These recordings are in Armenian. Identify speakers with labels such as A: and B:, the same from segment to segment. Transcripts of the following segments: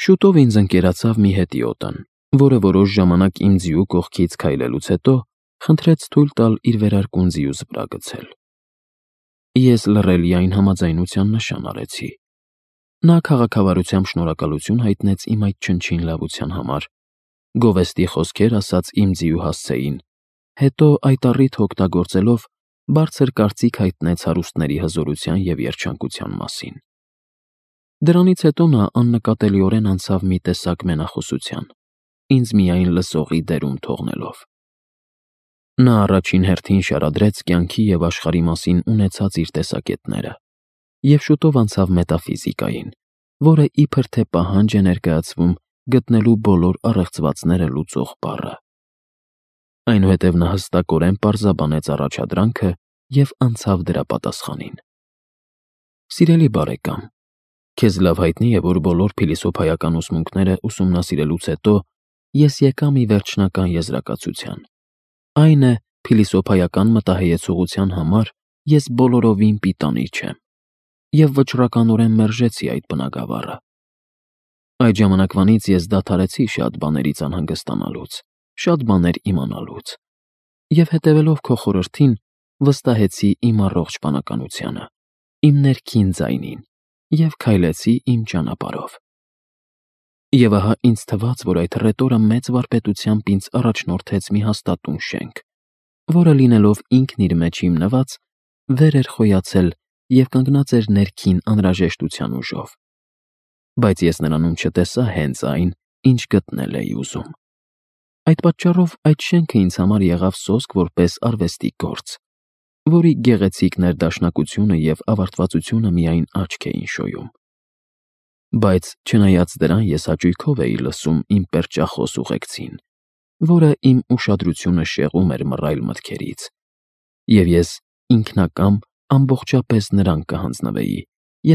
A: Շուտով ինձ ընկերացավ մի հետիոտն, որը որոշ ժամանակ իմ ձիու կողքից քայլելուց հետո խնդրեց թույլ տալ իր վերարկուն ձիուս վրա գցել։ Ես լռելի այն համաձայնության նշան արեցի։ Նա քաղաքավարությամբ շնորհակալություն հայտնեց իմ այդ չնչին լավության համար, գովեստի խոսքեր ասաց իմ ձիու հասցեին, հետո այդ առիթը օգտագործելով բարձր կարծիք հայտնեց հարուստների հզորության և երջանկության մասին։ Դրանից հետո նա աննկատելիորեն անցավ մի տեսակ մենախոսության, ինձ միայն լսողի դերում թողնելով։ Նա առաջին հերթին շարադրեց կյանքի և աշխարհի մասին ունեցած իր տեսակետները և շուտով անցավ մետաֆիզիկային, որը իբր թե պահանջ է ներկայացվում գտնելու բոլոր առեղծվածները լուծող բառը։ Այնուհետև նա հստակորեն պարզաբանեց առաջադրանքը և անցավ դրա պատասխանին։ Սիրելի բարեկամ, քեզ լավ հայտնի է, որ բոլոր փիլիսոփայական ուսմունքները ուսումնասիրելուց հետո ես եկա մի վերջնական եզրակացության։ Այն է, փիլիսոփայական մտահայեցողության համար ես բոլորովին պիտանի չեմ, և վճռականորեն մերժեցի այդ բնագավառը։ Այդ ժամանակվանից ես դադարեցի շատ բաներից անհանգստանալուց, շատ բաներ իմանալուց, և հետևելով քո խորհրդին, վստահեցի իմ առողջ բանականությանը, իմ ներքին ձայնին և քայլեցի իմ ճանապարհով։ Եվ ահա ինձ թվաց, որ այդ հռետորը մեծ վարպետությամբ ինձ առաջնորդեց մի հաստատուն շենք, որը լինելով ինքն իր մեջ հիմնված, վեր էր խոյացել և կանգնած էր ներքին անհրաժեշտության ուժով։ Բայց ես նրանում չտեսա հենց այն, ինչ գտնել էի ուզում։ Այդ պատճառով այդ շենքը ինձ համար եղավ սոսկ որպես արվեստի գործ, որի գեղեցիկ ներդաշնակությունը և ավարտվածությունը միայն աչք էին շոյում։ Բայց չնայած դրան ես հաճույքով էի լսում իմ պերճախոս ուղեկցին, որը իմ ուշադրությունը շեղում էր մռայլ մտքերից, և ես ինքնակամ ամբողջապես նրան կհանձնվեի,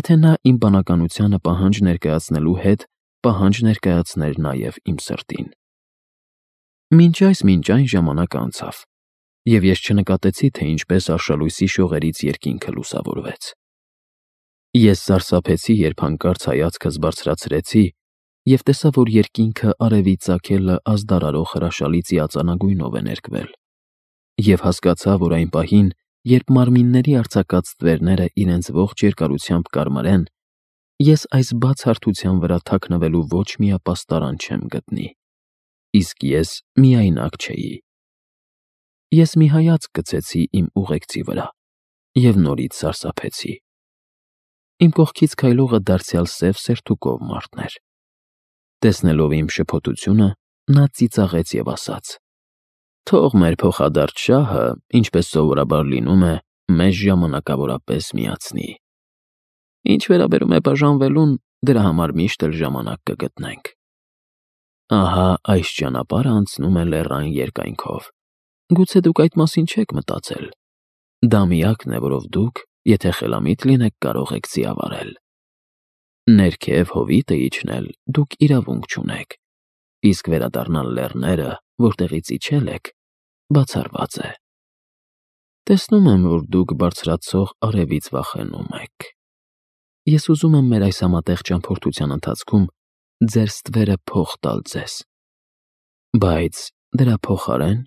A: եթե նա իմ բանականությանը պահանջ ներկայացնելու հետ պահանջ ներկայացներ նաև իմ սրտին։ Մինչ այն ժամանակը անցավ, և ես չնկատեցի, թե ինչպես արշալույսի շողերից երկինքը լուսավորվեց։ Ես սարսափեցի, երբ հանկարծ հայացքս բարձրացրեցի և տեսա, որ երկինքը արևի ծագելը ազդարարող հրաշալի ծիածանագույնով է ներկվել, և հասկացա, որ այն պահին, երբ մարմինների արձակած ստվերները իրենց ողջ երկարությամբ կարմրեն, ես այս բաց հարթության վրա թաքնվելու ոչ մի ապաստարան չեմ գտնի, իսկ ես միայնակ չէի։ Ես մի հայացք գցեցի իմ ուղեկցի վրա և նորից սարսափեցի։ Իմ կողքից քայլողը դարձյալ սև սերթուկով մարդն էր։ Տեսնելով իմ շփոթությունը, նա ծիծաղեց և ասաց. «Թող մեր փոխադարձ շահը, ինչպես սովորաբար լինում է, մեզ ժամանակավորապես միացնի։ Ինչ վերաբերում է բաժանվելուն, դրա համար միշտ էլ ժամանակ կգտնենք։ Ահա այս ճանապարհը անցնում է լեռան երկայնքով։ Գուցե դուք այդ մասին չեք մտածել։ Դա միակն է, որով դուք, եթե խելամիտ լինեք, կարող եք ձիավարել։ Ներքև հովիտը իջնել դուք իրավունք չունեք, իսկ վերադառնալ լեռները, որտեղից իջել եք, բացառված է։ Տեսնում եմ, որ դուք բարձրացող արևից վախենում եք։ Ես ուզում եմ մեր այս համատեղ ճամփորդության ընթացքում ձեր ստվերը փոխ տալ ձեզ։ Բայց դրա փոխարեն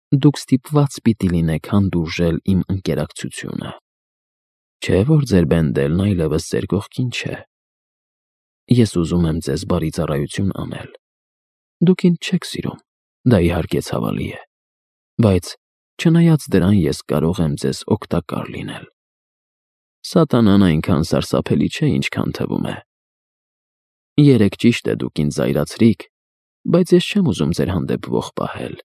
A: դուք ստիպված պիտի լինեք հանդուրժել իմ ընկերակցությունը։ Չէ՞ որ ձեր բենդելն այլևս ձեր կողքին չէ։ Ես ուզում եմ ձեզ բարի ծառայություն անել։ Դուք ինձ չեք սիրում, դա իհարկե ցավալի է, բայց չնայած դրան ես կարող եմ ձեզ օգտակար լինել։ Սատանան այնքան սարսափելի չէ, ինչքան թվում է։ Երեկ ճիշտ է դուք ինձ զայրացրիք, բայց ես չեմ ուզում ձեր հանդեպ ոխ պահել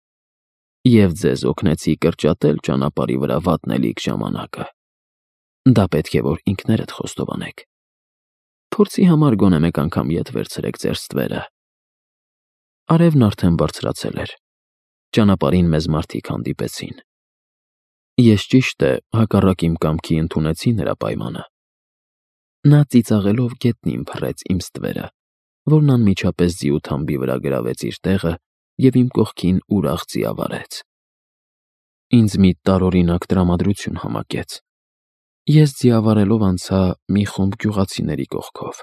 A: և ձեզ օգնեցի կրճատել ճանապարհի վրա վատնելիք ժամանակը։ Դա պետք է որ ինքներդ խոստովանեք։ Փորձի համար գոնե մեկ անգամ ետ վերցրեք ձեր ստվերը։ Արևն արդեն բարձրացել էր։ Ճանապարհին մեզ մարդիկ հանդիպեցին։ Ես ճիշտ է, հակառակ իմ կամքի ընդունեցի նրա պայմանը։ Նա ծիծաղելով գետնին փռեց իմ ստվերը, որն անմիջապես ձիու թամբի վրա գրավեց իր տեղը և իմ կողքին ուրախ ձիավարեց։ Ինձ մի տարօրինակ տրամադրություն համակեց։ Ես ձիավարելով անցա մի խումբ գյուղացիների կողքով։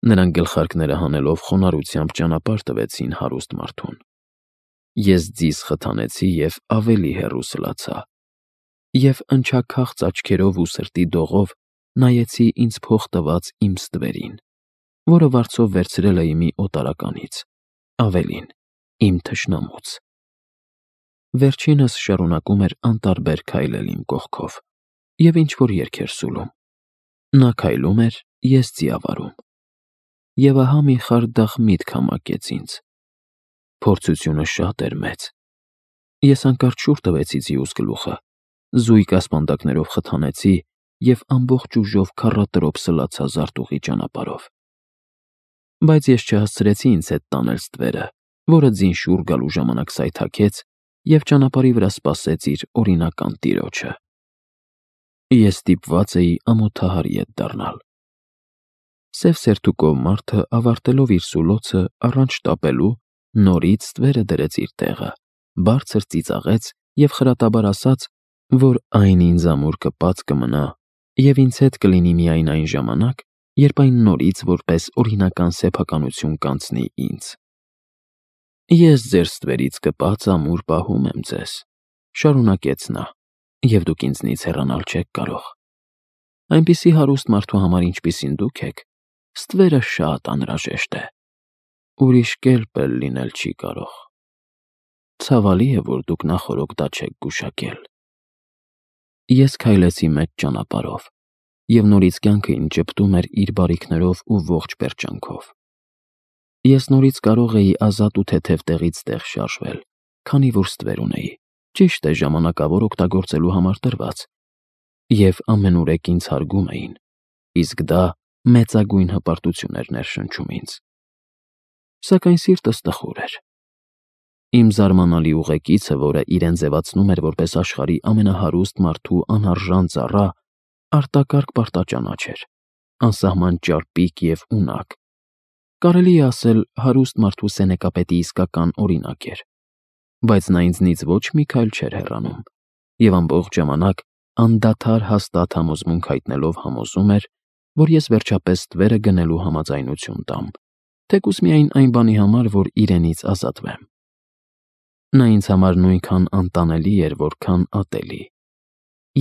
A: Նրանք գլխարկները հանելով խոնարհությամբ ճանապարհ տվեցին հարուստ մարդուն։ Ես ձիզ խթանեցի և ավելի հեռու սլացա, և ընչաքաղց աչքերով ու սրտի դողով նայեցի ինձ փող տված իմ ստվերին, որը վարձով վերցրել էի մի օտարականից, ավելին, իմ թշնամուց։ Վերջինս շարունակում էր անտարբեր քայլել իմ կողքով և ինչ-որ երգ էր սուլում։ Նա քայլում էր, ես ձիավարում։ Եվ ահա մի խարդախ միտք համակեց ինձ։ Փորձությունը շատ էր մեծ։ Ես հանկարծ շուռ տվեցի ձիուս գլուխը, զույգ ասպանդակներով խթանեցի և ամբողջ ուժով քառատրոփ սլացա զարտուղի ճանապարհով։ Բայց ես չհասցրեցի ինձ հետ տանել ստվերը, որը ձին շուռ գալու ժամանակ սայթաքեց և ճանապարհի վրա սպասեց իր օրինական տիրոջը։ Ես ստիպված էի ամոթահար ետ դառնալ։ Սև սերթուկով մարդը, ավարտելով իր սուլոցը, առանց շտապելու, նորից ստվերը դրեց իր տեղը, բարձր ծիծաղեց և խրատաբար ասաց, որ այն ինձ ամուր կպած կմնա և ինձ հետ կլինի միայն այն ժամանակ, երբ այն նորից որպես օրինական սեփականություն կանցնի ինձ։ Ես ձեր ստվերից կպած ամուր պահում եմ ձեզ, շարունակեց նա, և դուք ինձնից հեռանալ չեք կարող։ Այնպիսի հարուստ մարդու համար, ինչպիսին դուք եք, ստվերը շատ անհրաժեշտ է։ Ուրիշ կերպ էլ լինել չի կարող։ Ցավալի է, որ դուք նախօրոք դա չեք գուշակել։ Ես քայլեցի մեծ ճանապարհով, և նորից կյանքը ինձ ճպտում էր իր բարիքներով ու ողջ պերճանքով։ Ես նորից կարող էի ազատ ու թեթև տեղից տեղ շարժվել, քանի որ ստվեր ունեի, ճիշտ է, ժամանակավոր օգտագործելու համար տրված, և ամենուրեք ինձ հարգում էին, իսկ դա մեծագույն հպարտություն էր ներշնչում ինձ։ Սակայն սիրտս տխուր էր։ Իմ զարմանալի ուղեկիցը, որը իրեն ձևացնում էր որպես աշխարհի ամենահարուստ մարդու անարժան ծառա, արտակարգ պարտաճանաչ էր, անսահման ճարպիկ և ունակ։ Կարելի է ասել, հարուստ մարդու սենեկապետի իսկական օրինակ էր։ Բայց նա ինձնից ոչ մի քայլ չէր հեռանում, և ամբողջ ժամանակ անդադար հաստատ համոզմունք հայտնելով համոզում էր, որ ես վերջապես ստվերը գնելու համաձայնություն տամ, թեկուզ միայն այն բանի համար, որ իրենից ազատվեմ։ Նա ինձ համար նույնքան անտանելի էր, որքան ատելի։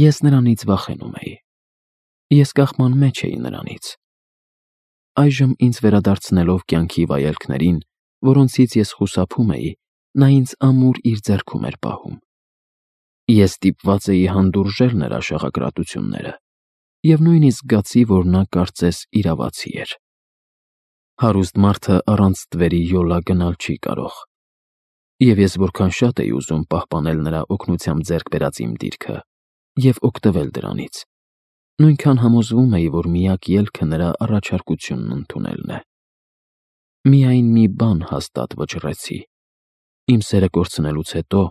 A: Ես նրանից վախենում էի։ Ես կախման մեջ էի նրանից։ Այժմ ինձ վերադարձնելով կյանքի վայելքներին, որոնցից ես խուսափում էի, նա ինձ ամուր իր ձեռքում էր պահում։ Ես ստիպված էի հանդուրժել նրա շաղակրատությունները և նույնիսկ զգացի, որ նա կարծես իրավացի էր։ Հարուստ մարդը առանց ստվերի յոլա գնալ չի կարող։ Եվ ես որքան շատ էի ուզում պահպանել նրա օգնությամբ ձեռք բերած իմ դիրքը և օգտվել դրանից, նույնքան համոզվում էի, որ միակ ելքը նրա առաջարկությունն ընդունելն է։ Միայն մի բան հաստատ վճռեցի. իմ սերը կորցնելուց հետո,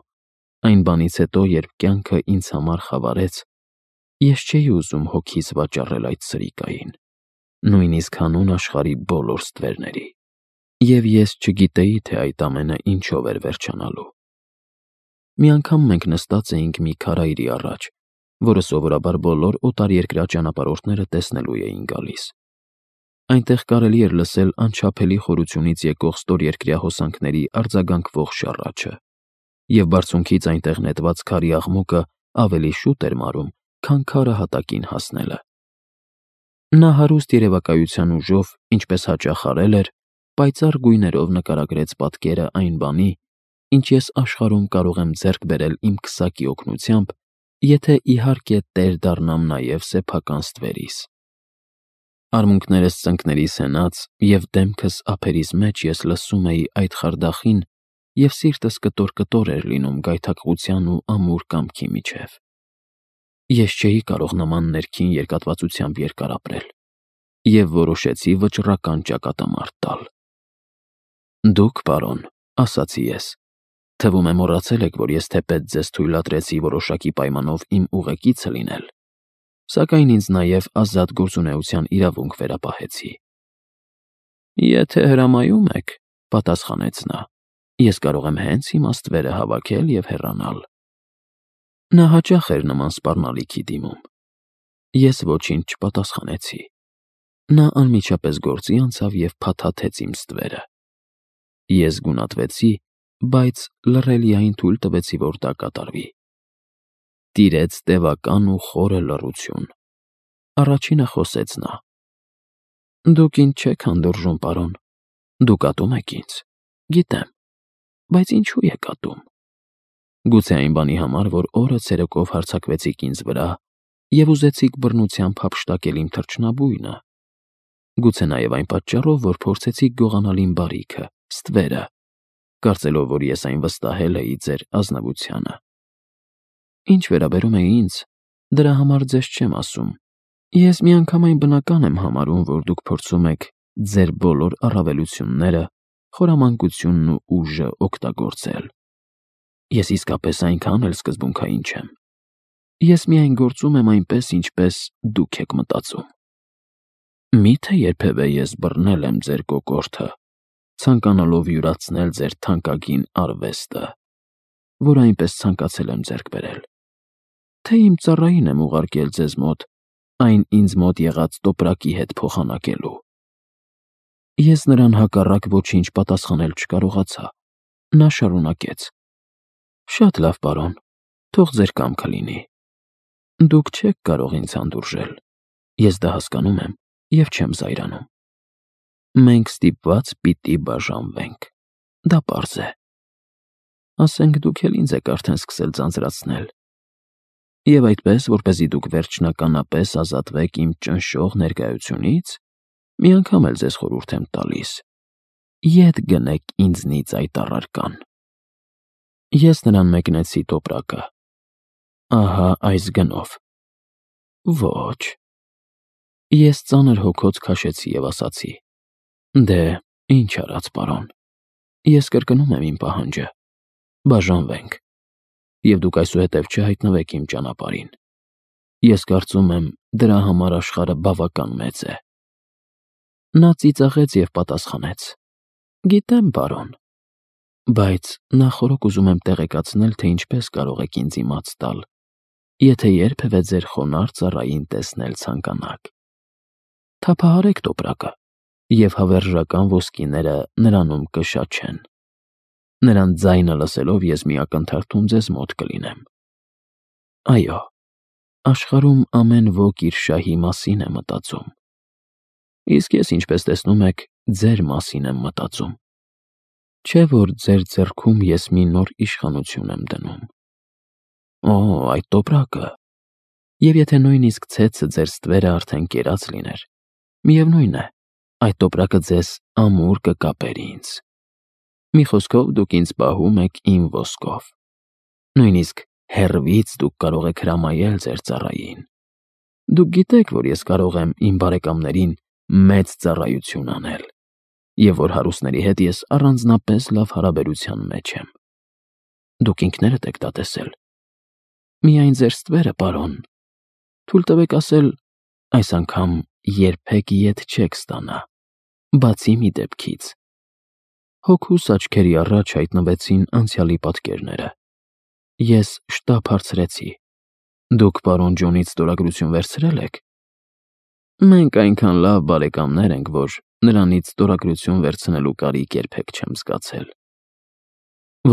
A: այն բանից հետո, երբ կյանքը ինձ համար խավարեց, ես չէի ուզում հոգիս վաճառել այդ սրիկային, նույնիսկ հանուն աշխարհի բոլոր ստվերների։ Եվ ես չգիտեի, թե այդ ամենը ինչով էր վերջանալու։ Մի անգամ մենք նստած էինք մի քարայրի առաջ, որը սովորաբար բոլոր օտարերկրյա ճանապարհորդները տեսնելու էին գալիս։ Այնտեղ կարելի էր լսել անչափելի խորությունից եկող ստորերկրյա հոսանքների արձագանքվող շառաչը, և բարձունքից այնտեղ նետված քարի աղմուկը ավելի շուտ էր մարում, քան քարը հատակին հասնելը։ Նա հարուստ երևակայության ուժով, ինչպես հաճախ արել էր, պայծառ գույներով նկարագրեց պատկերը այն բանի, ինչ ես աշխարհում կարող եմ ձեռք բերել իմ քսակի օգնությամբ, եթե իհարկե տեր դառնամ նաև սեփական ստվերիս։ Արմունկներս ծնկներիս հենած և դեմքս ափերիս մեջ ես լսում էի այդ խարդախին, և սիրտս կտոր-կտոր էր լինում գայթակղության ու ամուր կամքի միջև։ Ես չէի կարող նման ներքին երկատվածությամբ երկար ապրել և որոշեցի վճռական ճակատամարտ տալ։ «Դուք, պարոն, ֊ ասացի ես, ֊ թվում է մոռացել եք, որ ես թեպետ ձեզ թույլատրեցի որոշակի պայմանով իմ ուղեկիցը լինել, սակայն ինձ նաև ազատ գործունեության իրավունք վերապահեցի»։ «Եթե հրամայում եք, ֊ պատասխանեց նա, ֊ ես կարող եմ հենց հիմա ստվերը հավաքել և հեռանալ»։ Նա հաճախ էր նման սպառնալիքի դիմում։ Ես ոչինչ չպատասխանեցի։ Նա անմիջապես գործի անցավ և փաթաթեց իմ ստվերը։ Ես գունատվեցի, բայց լռելիային թույլ տվեցի, որ դա կատարվի։ Տիրեց տևական ու խորը լռություն։ Առաջինը խոսեց նա. «Դուք ինձ չեք հանդուրժում, պարոն։ Դուք ատում եք ինձ։ Գիտեմ, բայց ինչու եք ատում։ Գուցե այն բանի համար, որ օրը ցերեկով հարձակվեցիք ինձ վրա և ուզեցիք բռնությամբ հափշտակել իմ թռչնաբույնը։ Գուցե նաև այն պատճառով, որ փորձեցիք գողանալ իմ բարիքը, ստվերը, կարծելով, որ ես այն վստահել էի ձեր ազնվությանը։ Ինչ վերաբերում է ինձ, դրա համար ձեզ չեմ ասում։ Ես միանգամայն բնական եմ համարում, որ դուք փորձում եք ձեր բոլոր առավելությունները, խորամանկությունն ու ուժը օգտագործել։ Ես իսկապես այնքան էլ սկզբունքային չեմ։ Ես միայն գործում եմ այնպես, ինչպես դուք եք մտածում։ Մի՞թե երբևէ ես բռնել եմ ձեր կոկորդը, ցանկանալով յուրացնել ձեր թանկագին արվեստը, որ այնպես ցանկացել եմ ձեռք բերել։ Թե իմ ծառային եմ ուղարկել ձեզ մոտ, այն ինձ մոտ եղած տոպրակի հետ փոխանակելու։ Ես նրան հակառակ ոչինչ պատասխանել չկարողացա։ Նա շարունակեց. «Շատ լավ, պարոն, թող ձեր կամքը լինի։ Դուք չեք կարող ինձ հանդուրժել։ Ես դա հասկանում եմ և չեմ զայրանում։ Մենք ստիպված պիտի բաժանվենք։ Դա պարզ է։ Ասենք դուք էլ ինձ եք արդեն սկսել ձանձրացնել։ Եվ այդպես, որպեսզի դուք վերջնականապես ազատվեք իմ ճնշող ներկայությունից, մի անգամ էլ ձեզ խորհուրդ եմ տալիս. ետ գնեք ինձնից այդ առարկան»։ Ես նրան մեկնեցի տոպրակը։ Ահա այս գնով։ Ոչ։ Ես ծանր հոգոց քաշեցի և ասացի. «Դե, ինչ արած, պարոն։ Ես կրկնում եմ իմ պահանջը. բաժանվենք, և դուք այսուհետև չհայտնվեք իմ ճանապարհին։ Ես կարծում եմ, դրա համար աշխարհը բավական մեծ է»։ Նա ծիծաղեց և պատասխանեց. «Գիտեմ, պարոն, բայց նախօրոք ուզում եմ տեղեկացնել, թե ինչպես կարող եք ինձ իմաց տալ, եթե երբևէ ձեր խոնարհ ծառային տեսնել ցանկանաք։ Թափահարեք տոպրակը, և հավերժական ոսկիները նրանում կշաչեն։ Նրանց ձայնը լսելով ես մի ակնթարթում ձեզ մոտ կլինեմ։ Այո, աշխարհում ամեն ոք իր շահի մասին է մտածում։ Իսկ ես, ինչպես տեսնում եք, ձեր մասին եմ մտածում։ Չէ՞ որ ձեր ձեռքում ես մի նոր իշխանություն եմ դնում։ Օ, այդ տոպրակը։ Եվ եթե նույնիսկ ցեցը ձեր ստվերը արդեն կերած լիներ, միևնույն է, այդ տոպրակը ձեզ ամուր կկապեր ինձ։ Մի խոսքով, դուք ինձ պահում եք իմ ոսկով։ Նույնիսկ հեռվից դուք կարող եք հրամայել ձեր ծառային։ Դուք գիտեք, որ ես կարող եմ իմ բարեկամներին մեծ ծառայություն անել, և որ հարուստների հետ ես առանձնապես լավ հարաբերության մեջ եմ։ Դուք ինքներդ եք դա տեսել։ Միայն ձեր ստվերը, պարոն։ Թույլ տվեք ասել, այս անգամ երբեք ետ չեք ստանա, բացի մի դեպքից։ Հոգուս աչքերի առաջ հայտնվեցին անցյալի պատկերները։ Ես շտապ հարցրեցի. «Դուք պարոն Ջոնից ստորագրություն վերցրել եք»։ Մենք այնքան լավ բարեկամներ ենք, որ նրանից ստորագրություն վերցնելու կարիք երբեք չեմ զգացել։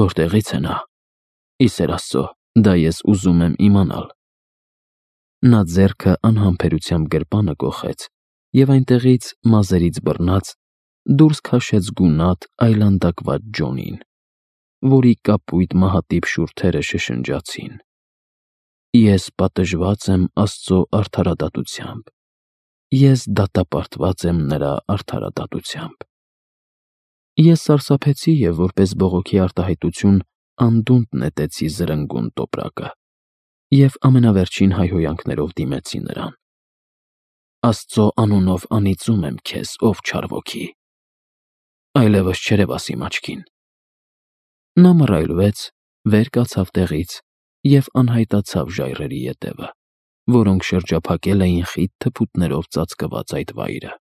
A: Որտեղի՞ց է նա։ Ի սեր Աստծո, դա ես ուզում եմ իմանալ։ Նա ձեռքը անհամբերությամբ գրպանը կոխեց և այնտեղից, մազերից բռնած, դուրս քաշեց գունատ, այլանդակված Ջոնին, որի կապույտ մահատիպ շուրթերը շշնջացին։ Ես պատժված եմ Աստծո արդարադատությամբ։ Ես դատապարտված եմ նրա արդարադատությամբ։ Ես սարսափեցի և որպես բողոքի արտահայտություն անդունդը նետեցի զրնգուն տոպրակը և ամենավերջին հայհոյանքներով դիմեցի նրան. «Աստծո անունով անիծում եմ քեզ, ով չար ոգի։ Այլևս չերևաս իմ աչքին»։ Նա մռայլվեց, վեր կացավ տեղից և անհայտացավ ժայռերի ետևը, որոնք շրջափակել էին խիտ թփուտներով ծածկված այդ վայրը։